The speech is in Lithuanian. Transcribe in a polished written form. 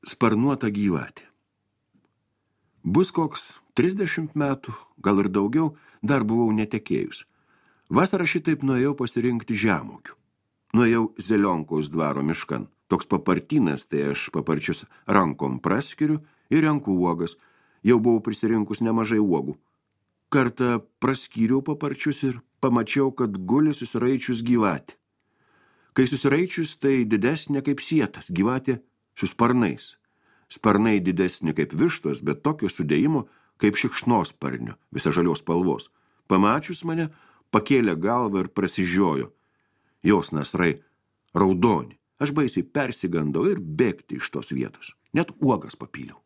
Sparnuota gyvatė. Bus koks 30 metų, gal ir daugiau, dar buvau netekėjus. Vasarą šitaip nuėjau pasirinkti žemuogių. Nuėjau Zelionkaus dvaro miškan. Toks papartynas, tai aš paparčius rankom praskiriu ir renku uogas. Jau buvau prisirinkus nemažai uogų. Kartą praskyriau paparčius ir pamačiau, kad guli susiraičius gyvatė. Kai susiraičius, tai didesnė kaip sietas, gyvatė su sparnais. Sparnai didesni kaip vištos, bet tokio sudėjimo kaip šikšnosparnio, visa žalios spalvos. Pamačius mane, pakėlė galvą ir prasižiojo. Jos nasrai raudoni. Aš baisiai persigandau ir bėgti iš tos vietos. Net uogas papyliau.